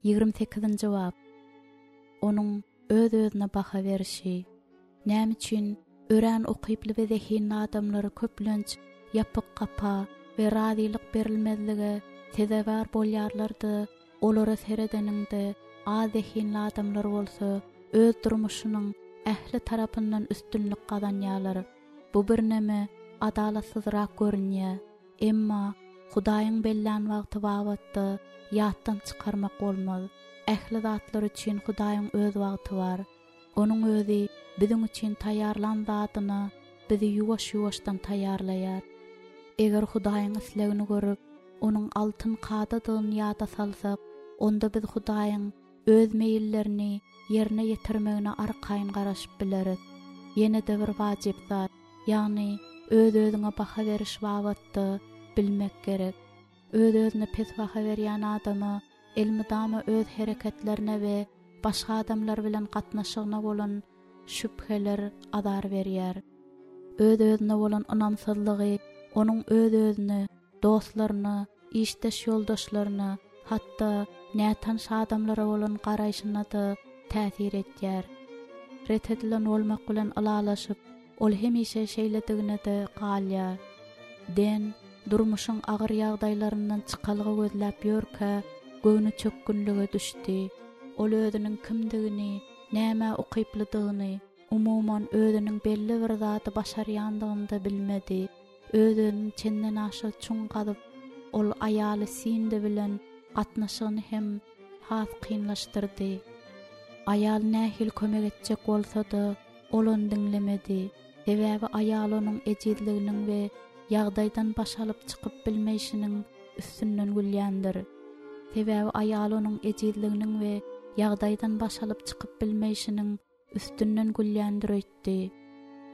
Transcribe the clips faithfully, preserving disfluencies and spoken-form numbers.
Ýigrimi sekizinji bap. Onuň öz-özüne baha berişi. Näme üçin örän ukyply we zehinli adamlar köplenç ýapyk gapa we razylyk berilmezlige sezewar bolýarlar-da, olara seredeniňde az zehinli adamlar bolsa öz durmuşynyň ähli tarapyndan üstünlik gazanýarlar. Bu birneme adalatsyzrak görünýär. Emma Hudaýyň bellän wagty babatda ýatdan çykarmak bolmaz. Ähli zatlar üçin Hudaýyň öz wagty bar. Onuň özi biziň üçin taýýarlan zadyna bizi ýuwaş-ýuwaşdan taýýarlaýar. Eger Hudaýyň islegini görüp, onuň altyn kadadygyny ýada salsak, onda biz Hudaýyň öz meýillerini ýerine ýetirmegine arkaýyn garaşyp bileris. Ýene-de bir wajyp zat, ýagny öz-özüňe baha beriş babatda bilmek gerek. Öz-özüne pes baha berýän adama elmydama öz hereketlerine we başga adamlar bilen gatnaşygyna bolan şübheler azar berýär. Öz-özüne bolan ynamsyzlygy onuň öz-özüne, dostlaryna, işdeş ýoldaşlaryna, hatda nätanyş adamlara bolan garaýşyna-da täsir edýär. Ret edilen bolmak bilen ylalaşyp, ol hemişe şeýledigine-de galýar. Den durmuşyň agyr ýagdaýlaryndan çykalga gözläp ýörkä, göwni çökgünlige düşdi. Ol özüniň kimdigini, nämä ukyplydygyny, umuman özüniň belli bir zady başarýandygyny-da bilmedi. Öz-özüni çendenaşa çuň gazyp, ol aýaly Sindi bilen gatnaşygyny hem has kynlaşdyrdy. Aýal nähili kömek etjek bolsa-da, ol ony diňlemedi. Sebäbi aýal onuň ejizliginiň we ýagdaýdan baş alyp çykyp bilmeýşiniň üstünden gülýändir. Sebäbi aýal onuň ejizliginiň we ýagdaýdan baş alyp çykyp bilmeýşiniň üstünden gülýändir öýtdi.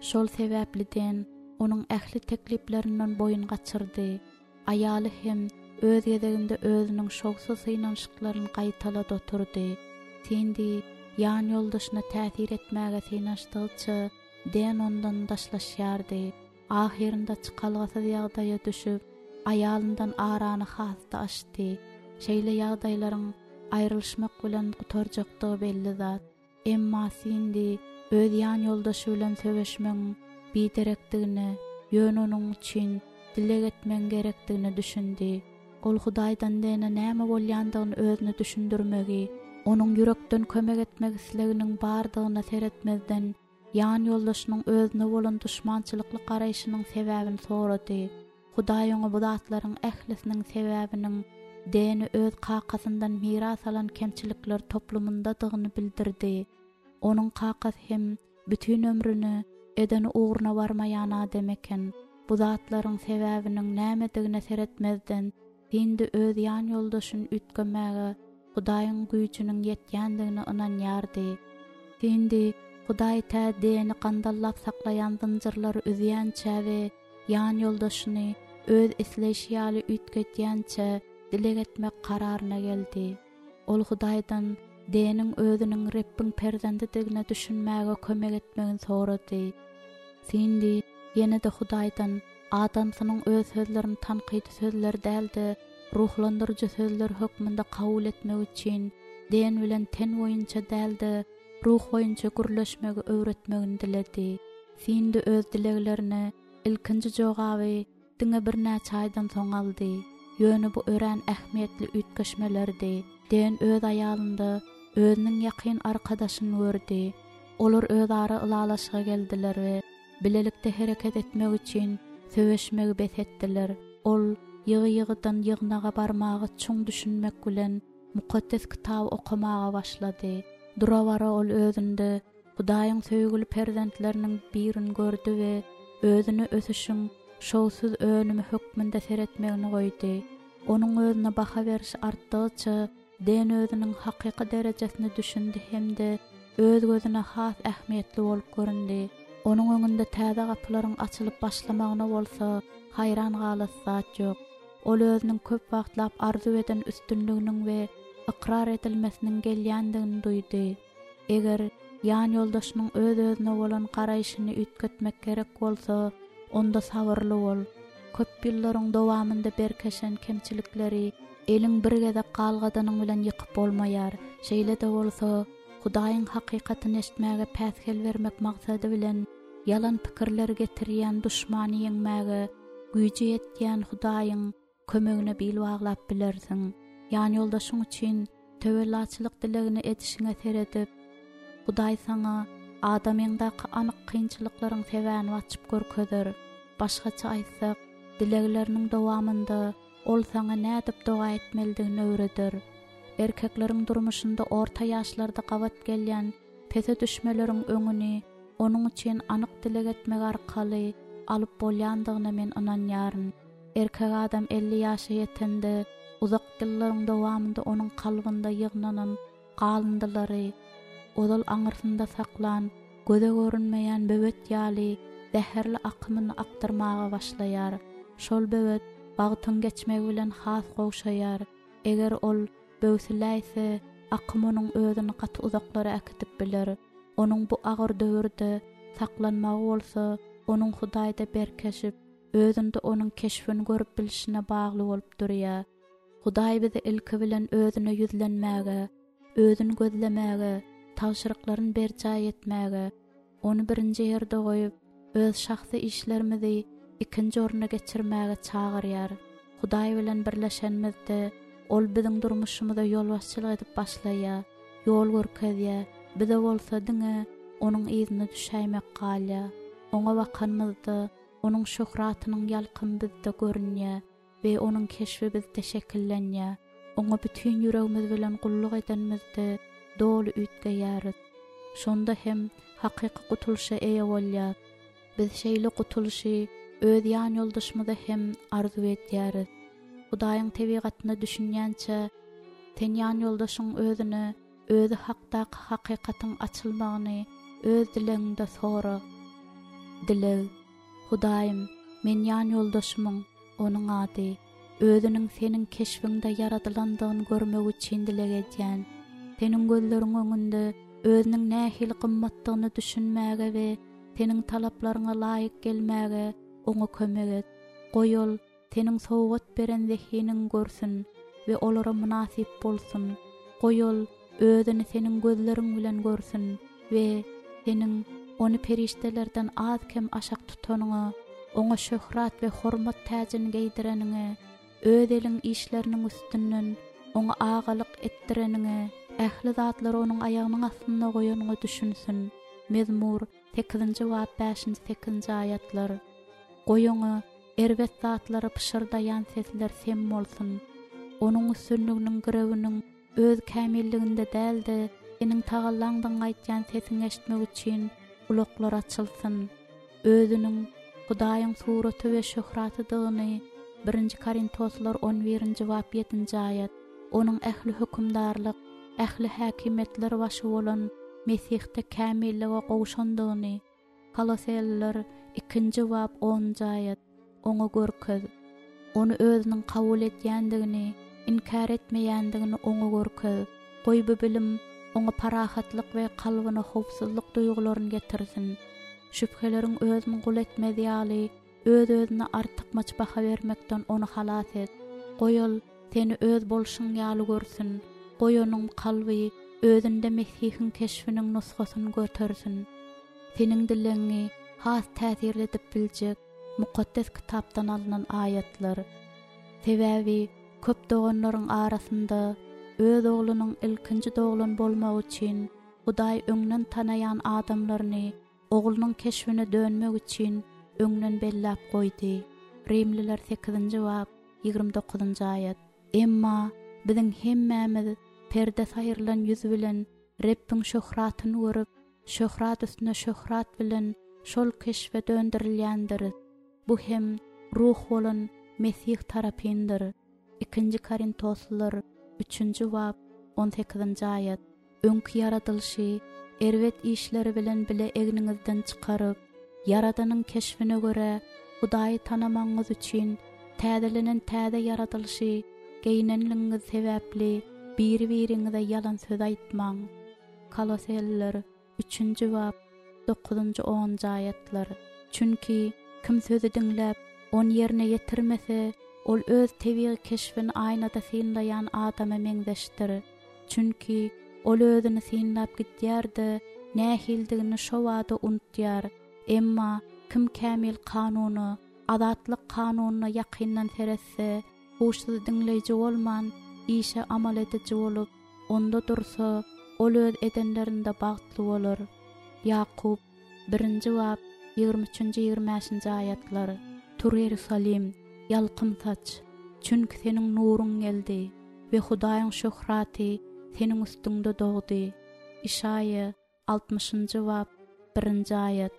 Şol sebäpli Den onuň ähli tekliplerinden boýun gaçyrdy. Aýaly hem öz gezeginde özüniň şowsuz synanyşyklaryny gaýtalady oturdy. Sindi ýan ýoldaşyna täsir etmäge synanyşdygyça Den ondan daşlaşýardy. Ahyrynda çykalgasyz ýagdaýa düşüp, aýalyndan arany has-da açdy. Şeýle ýagdaýlaryň aýrylyşmak bilen gutarjakdygy belli zat. Emma Sindi öz ýan ýoldaşy bilen söweşmegiň biderekdigine, ýöne onuň üçin dileg etmegiň gerekdigine düşündi. Ol Hudaýdan Dene näme bolýandygyny özüne düşündirmegi, onuň ýürekden kömek etmek isleginiň bardygyna seretmezden, ýan ýoldaşynyň özüne bolan duşmançylykly garaýşynyň sebäbini sorady. Hudaý oňa bu zatlaryň ählisiniň sebäbiniň Deni öz kakasyndan miras alan kemçilikler toplumyndadygyny bildirdi. Onuň kakasy hem bütin ömrüni eden ugruna barmaýan adam eken. Bu zatlaryň sebäbiniň nämedigine seretmezden, Sindi öz ýan ýoldaşyny üýtgemäge Hudaýyň güýjüniň ýetýändigine ynanýardy. Sindi Hudaý tä Deni gandallap saklaýan zynjyrlary üzýänçä we ýan ýoldaşyny öz isleýşi ýaly üýtgedýänçä dileg etmek kararyna geldi. Ol Hudaýdan Deniň özüniň Rebbiň perzendidigine düşünmäge kömek etmegini sorady. Sindi ýene-de Hudaýdan adamsynyň öz sözlerini tankydy sözler däl-de, ruhlandyryjy sözler hökmünde kabul etmek üçin Den bilen ten boýunça däl-de, ruh boýunça gürleşmegi öwretmegini diledi. Sindi öz dileglerine ilkinji jogaby diňe birnäçe aýdan soň aldy. Ýöne bu örän ähmiýetli üýtgeşmelerdi. Den öz aýalynda özüniň ýakyn arkadaşyny gördi. Olar özara ylalaşyga geldiler we bilelikde hereket etmek üçin söweşmegi bes etdiler. Ol ýygy-ýygydan ýygnaga barmaga çuň düşünmek bilen mukaddes kitaby okamaga başlady. Dura-bara ol özünde Hudaýyň söýgüli perzentleriniň birini gördi we özüne ösüşiň şowsuz önümi hökmünde seretmegini goýdy. Onuň özüne baha berişi artdygyça Den özüniň hakyky derejesine düşündi hem-de öz gözüne has ähmiýetli bolup göründi. Onuň öňünde täze gapylaryň açylyp başlamagyna bolsa haýran galasy zat ýok. Ol özüniň köp wagtlap arzuw eden üstünliginiň we ykrar edilmesiniň gelýändigini duýdy. Eger ýan ýoldaşynyň öz-özüne bolan garaýşyny üýtgetmek gerek bolsa, onda sabyrly bol. Köp ýyllaryň dowamynda berkeşen kemçilikleri Eliň bir gezek galgadanyň bilen ýykyp bolmaýar. Şeýle-de bolsa, Hudaýyň hakykatyny eşitmäge päsgel bermek maksady bilen ýalan pikirleri getirýän duşmany ýeňmäge güýji ýetýän Hudaýyň kömegine bil baglap bilersiň. Ýan ýoldaşyň üçin töwellaçylyk dilegini edişiňe seredip, Hudaý saňa adamyňdaky anyk kynçylyklaryň sebäbini açyp görkezer. Başgaça aýtsak, dilegleriniň dowamynda ol saňa nädip doga etmelidigini öwreder. Erkekleriň durmuşynda orta ýaşlarda gabat gelýän pese düşmeleriň öňüni onuň üçin anyk dileg etmek arkaly alyp bolýandygyna men ynanýaryn. Erkek adam elli ýaşa ýetende uzak ýyllaryň dowamynda onuň kalbynda ýygnanan galyndylary, ozal aňyrsynda saklan, göze görünmeýän böwet ýaly zäherli akymyny akdyrmaga başlaýar. Şol böwet wagtyň geçmegi bilen has gowşaýar. Eger ol böwsüläýse, akym onuň özüni gaty uzaklara äkidip biler. Onuň bu agyr döwürde saklanmagy bolsa, onuň Hudaýda berkeşip, özünde onuň keşbini görüp bilişine bagly bolup durýar. Hudaý bizi ilki bilen özüne ýüzlenmäge, özüni gözlemäge, tabşyryklaryny berjaý etmäge, ony birinji ýerde goýup, öz şahsy işlerimizi ikinji orna geçirmäge çagyrýar. Hudaý bilen birleşenimizde ol biziň durmuşymyza ýolbaşçylyk edip başlaýar, ýol görkezýär. Bize bolsa diňe onuň yzyna düşäýmek galýar. Oňa bakanymyzda onuň şöhratynyň ýalkymy bizde görünýär we onuň keşbi bizde şekillenýär. Oňa bütün ýüregimiz bilen gulluk edenimizde doly üýtgeýäris. Şonda hem hakyky gutulyşa eýe bolýar. Biz şeýle gutulyşy öz ýan ýoldaşymyza hem arzuw edýäris. Hudaýyň tebigatyna düşünýänçe sen ýan ýoldaşyň özüne özi hakdaky hakykatyň açylmagyny öz dilegiňde sora. Dileg. Hudaýym, men ýan ýoldaşymyň, onuň ady, özüniň seniň keşbiňde ýaradylandygyny görmek üçin dileg edýän. Seniň gözleriň öňünde özüniň nähili gymmatdygyny düşünmäge we seniň talaplaryňa laýyk gelmäge oňa kömek et. Goý ol seniň sowgat beren zehiniň görsün we olara mynasyp bolsun. Goý ol özüni seniň gözleriň bilen görsün we seniň ony perişdelerden az kem aşak tutanyňa, oňa şöhrat we hormat täjini geýdireniňe, öz eliň işleriniň üstünden oňa agalyk etdireniňe, ähli zatlary onuň aýagynyň astynda goýanyňa düşünsin. Mezmur sekizinji bap bäşinji sekizinji aýatlar. Goý oňa erbet zatlary pyşyrdaýan sesler sem bolsun. Onuň üstünliginiň girewiniň öz kämilliginde däl-de, seniň tagallaňdygyny aýtýan sesiňi eşitmek üçin gulaklar açylsyn. Özüniň Hudaýyň suraty we şöhratydygyny birinji Korintoslar on birinji bap ýedinji aýat, onuň ähli hökümdarlyk, ähli häkimiýetler başy bolan Mesihde kämillige gowşandygyny Koloseliler ikinji bap onunjy aýat oňa görkez. Ony özüniň kabul edýändigini, inkär etmeýändigini oňa görkez. Goý bu bilim oňa parahatlyk we kalbyna howpsuzlyk duýgularyny getirsin. Şübheleriň özüni gul etmez ýaly, öz-özüne artykmaç baha bermekden ony halas et. Goý ol seni öz bolşuň ýaly görsün. Goý onuň kalby özünde Mesihiň keşbiniň nusgasyny götersin. Seniň dilegiňi has täsirli edip biljek mukaddes kitapdan alynan aýatlar. Sebäbi köp doganlaryň arasynda öz oglunyň ilkinji doglan bolmagy üçin Hudaý öňden tanaýan adamlaryny oglunyň keşbine dönmek üçin öňden belläp goýdy. Rimliler sekizinji bap ýigrimi dokuzynjy aýat. Emma biziň hemmämiz perde saýrylan ýüz bilen Rebbiň şöhratyny görüp, şöhrat üstüne şöhrat bilen şol keşbe döndürilýändiris. Bu hem ruh bolan Mesih tarapyndyr. Ikinji Korintoslar üçünji bap on sekizinji aýat. Öňki ýaradylyşy erbet işleri bilen bile egniňizden çykaryp, Ýaradanyň keşbine görä Hudaýy tanamagyňyz üçin täzelenen täze ýaradylyşy geýnenligiňiz sebäpli biri-biriňize ýalan söz aýtmaň. Koloseliler üçünji bap dokuzynjy onunjy aýatlar. Çünki kim sözi diňläp, ony ýerine ýetirmese, Ol öz tebigy keşbini aýnada synlaýan adama meňzeşdir. Çünki ol özüni synlap gidýär-de, nähilidigini şo bada unutýar. Emma kim kämil kanuna, azatlyk kanunyna ýakyndan seretse, huşsuz diňleýji bolman, işe amal ediji bolup, onda dursa, ol öz edenlerinde bagtly bolar. Ýakup, birinji bap, ýigrimi üçünji, ýigrimi bäşinji aýatlar. Tur Ýerusalim, ýalkym saç, çünki seniň nuruň geldi we Hudaýyň şöhraty seniň üstüňde dogdy. Işaýa, altmyşynjy bap, birinji aýat.